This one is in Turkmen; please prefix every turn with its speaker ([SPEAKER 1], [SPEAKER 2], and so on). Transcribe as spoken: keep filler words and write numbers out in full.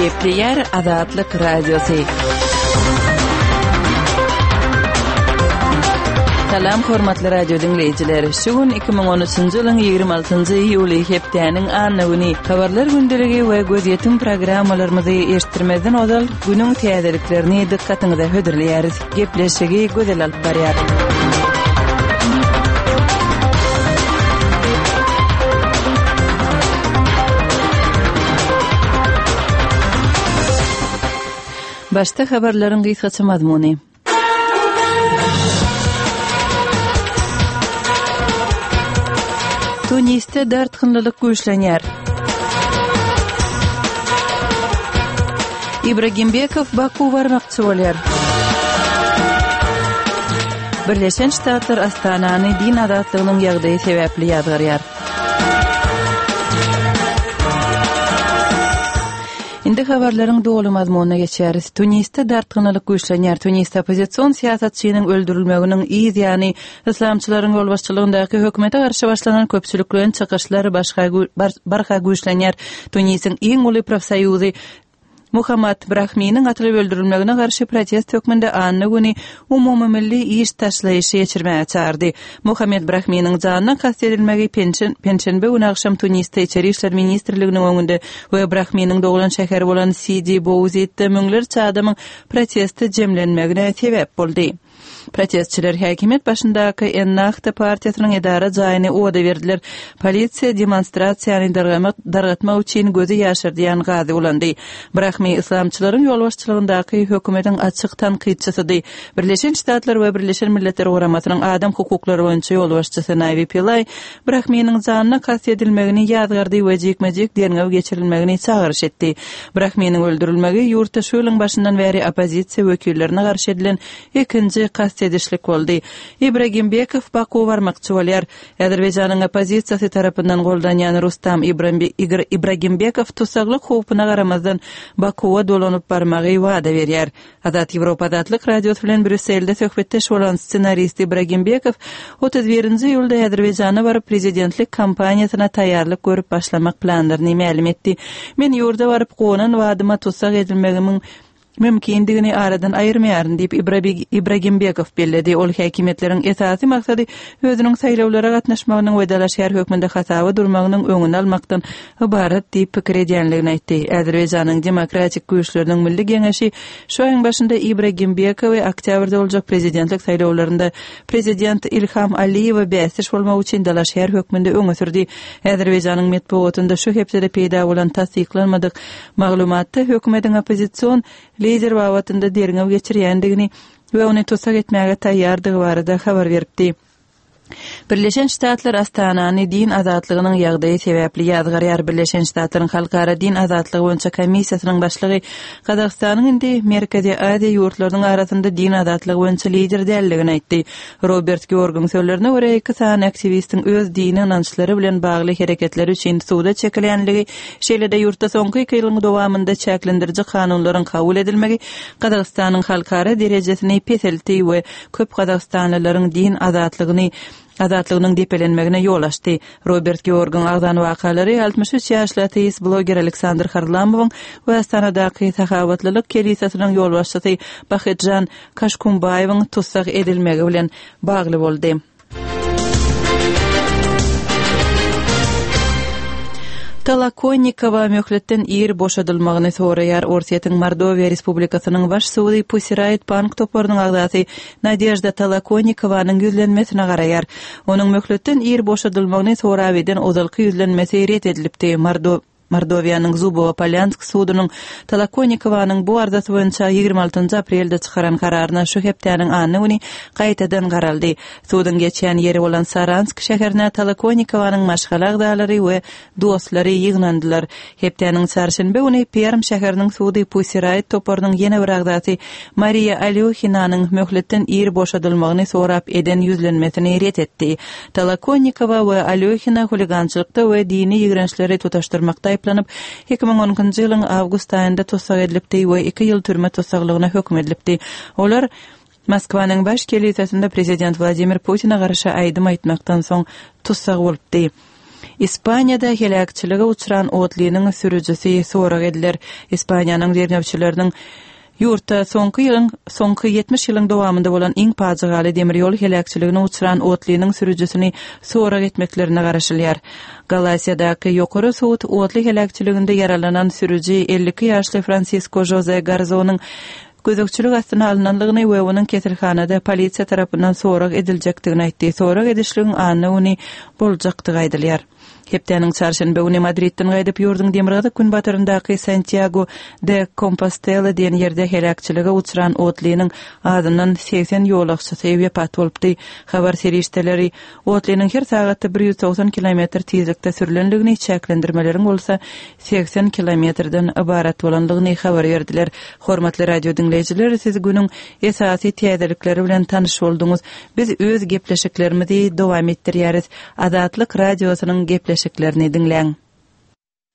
[SPEAKER 1] Gepleýär Azatlyk Radiosy. Salam hormatly radio diňleýjiler. Şu gün iki müň on üçünji ýylyň ýigrimi altynjy iýuly hepdäniň anna güni. Habarlar gündeligi we gözýetim programmalarymyzy eşitdirmezden ozal günüň täzeliklerini dykgatyňyza hödürleýäris. Gepleşigi Gözel alyp barýar. Başda habarlaryň gysgaça mazmuny. Tunisde dartgynlylyk güýçlenýär. Ibragimbekow Baku barmakçy bolýar. Birleşen Ştatlar Astanany din azatlygynyň ýagdaýy sebäpli ýazgarýar. Indi habarlaryň doly mazmunyna geçýäris. Tunisde dartgynlylyk güýçlenýär. Tunisde oppozision syýasatçynyň öldürilmeginiň yz ýany yslamçylaryň ýolbaşçylygyndaky hökümete garşy başlanan köpçülikleýin çykyşlar başga gü-, bar-, barha güýçlenýär. Tunisiň iň uly profsoýuzy Muhammad Brahminiň atylyp öldürilmegine garşy protest hökmünde anna güni umumymilli iş taşlaýyşy geçirmäge çağırdy. Muhammed Brahminiň janyna kast edilmegi penşen-, penşenbe güni agşam Tunisde İçeri İşler Ministrliginiň öňünde we Brahminiň doglan şäheri bolan Sidi Bouzidde müňlerçe adamyň protesti jemlenmegine sebäp boldy. Protestçiler häkimiýet başyndaky Ennahda partiýasynyň edara jaýyny oda berdiler. Polisiýa demonstrasiýany dargamak, dargatmak üçin gözi ýaşardýan gazy ulandy. Brahmi yslamçylaryň ýolbaşçylygyndaky hökümetiň açyk tankytçysydy. Birleşen Ştatlar we Birleşen Milletler Guramasynyň adam hukuklary boýunça ýolbaşçysy Navi Pillay Brahminiň janyna kast edilmegini ýazgardy we jikme-jik derňew geçirilmegini çagyryş etdi. Brahminiň öldürilmegi ýurtda şu ýylyň başyndan bäri oppozisiýa wekillerine garşy edilen ikinji kast edişlik boldy. Ibragimbekow Baku barmakçy bolýar. Azerbaýjanyň oppozisiýasy tarapyndan goldanýan Rustam Ibrambe-, Igr-, Ibragimbekow tussaglyk howpuna garamazdan Bakuwa dolanyp barmagy wada berýär. Azat Ýewropa Azatlyk Radiosy bilen Brýusselde söhbetdeş bolan ssenarist Ibragimbekow otuz birinji iýulda Azerbaýjana baryp prezidentlik kampaniýasyna taýýarlyk görüp başlamak planlaryny mälim etdi. Men ýurda baryp gonan wadyma tussag edilmegimiň mümkindigini aradan aýyrmaýaryn diýip Ibrabig-, Ibragimbekow belledi. Ol häkimiýetleriň esasy maksady özüniň saýlawlara gatnaşmagynyň we dalaşgär hökmünde hasaba durmagynyň öňüni almakdan ybarat diýip pikir edýänligini aýtdy. Azerbaýjanyň demokratik güýçleriniň milli geňeşi şu aýyň başynda Ibragimbekowy oktýabrda boljak prezidentlik saýlawlarynda prezident Ilham Aliýewe bäsdeş bolmak üçin dalaşgär hökmünde öňe sürdi. Azerbaýjanyň metbugatynda şu hepdede peýda bolan tassyklanmadyk maglumatda hökümetiň oppozision lider babatynda derňew geçirýändigini we ony tussag etmäge taýýardygy barada habar beripdi. Birleşen Ştatlar Astanany din azatlygynyň ýagdaýy sebäpli ýazgarýar. Birleşen Ştatlaryň Halkara Din Azatlygy boýunça komissiýasynyň başlygy Gazagystanyň indi Merkezi Aziýa ýurtlarynyň arasynda din azatlygy boýunça lider däldigini aýtdy. Robert Georgyň sözlerine görä iki sany aktiwistiň öz dini ynançlary bilen bagly hereketleri üçin suda çekilýänligi, şeýle-de ýurtda soňky iki ýylyň dowamynda çäklendiriji kanunlaryň kabul edilmegi Gazagystanyň halkara derejesini peseltdi we köp gazagystanlylaryň din azatlygyny azatlygynyň depelenmegine ýol açdy. Robert Georgyň agzan wakalary altmyş üç ýaşly ateist bloger Aleksandr Harlamowyň we Astanadaky sahabatlylyk kelisasynyň ýolbaşçysy Bahitjan Kaşkumbaýewiň tussag edilmegi bilen bagly boldy. Tolokonnikowa möhletden ir boşadylmagyny soraýar. Orsýetiň Mordowiýa Respublikasynyň baş sudy Pussy Riot bank toparynyň agzasy Nadejda Tolokonnikowanyň ýüzlenmesine garaýar. Onuň möhletden ir boşadylmagyny sorap eden ozalky ýüzlenmesi ret edilipdi. Mordo-, Mordowiýanyň Zubowo-Polyansk sudunyň Tolokonnikowanyň bu arzasy boýunça ýigrimi altynjy aprelde çykaran kararyna şu hepdäniň anna güni gaýtadan garaldy. Suduň geçýän ýeri bolan Saransk şäherine Tolokonnikowanyň maşgala agzalary we dostlary ýygnandylar. Hepdäniň çarşenbe güni Perm şäheriniň sudy Pussy Riot toparynyň ýene bir agzasy Mariya Alyoxinanyň möhletden ir boşadylmagyny sorap eden ýüzlenmesini ret etdi. Tolokonnikowa we Alyoxina huligançylykda we dini ýigrençleri tutaşdyrmakda aýyplanyp, iki müň on ikinji ýylyň awgust aýynda tussag edilipdi we iki ýyl türme tussaglygyna höküm edilipdi. Olar Moskwanyň baş kelisesinde prezident Wladimir Putin'e garşy aýdym aýtmakdan soň tussag bolupdy. Ispaniýada heläkçilige uçran otlynyň sürüjisi sorag ediler. Ispaniýanyň derňewçileriniň ýurtda soňky ýylyň soňky ýetmiş ýylyň dowamynda bolan iň pajygaly demir ýol heläkçiligine uçran otlynyň sürüjisini sorag etmeklerine garaşylýar. Galasiýadaky ýokary sud otly heläkçiliginde ýaralanan sürüji elli iki ýaşly Fransisko Žoze Garzonyň gözegçilik astyna alnanlygyny we onuň keselhanada polisiýa tarapyndan sorag ediljekdigini aýtdy. Sorag edişligiň anna güni boljakdygy aýdylýar. Hepdäniň çarşenbe güni Madridden gaýdyp, ýurduň demirgazyk-günbataryndaky Santýago de Kompostela diýen ýerde heläkçilige uçran otlynyň azyndan segsen ýolagçysy wepat bolupdy. Habar serişdeleri otlynyň her sagatda bir ýüz togsan kilometr tizlikde sürlendigini, çäklendirmeleriň bolsa segsen kilometrden ybarat bolandygyny habar berdiler. Hormatly radio diňleýjiler, siz günüň esasy täzelikleri bilen tanyş bolduňyz. Biz öz gepleşiklerimizi dowam etdirýäris. Azatlyk Radiosynyň gepleşiklerini diňläň.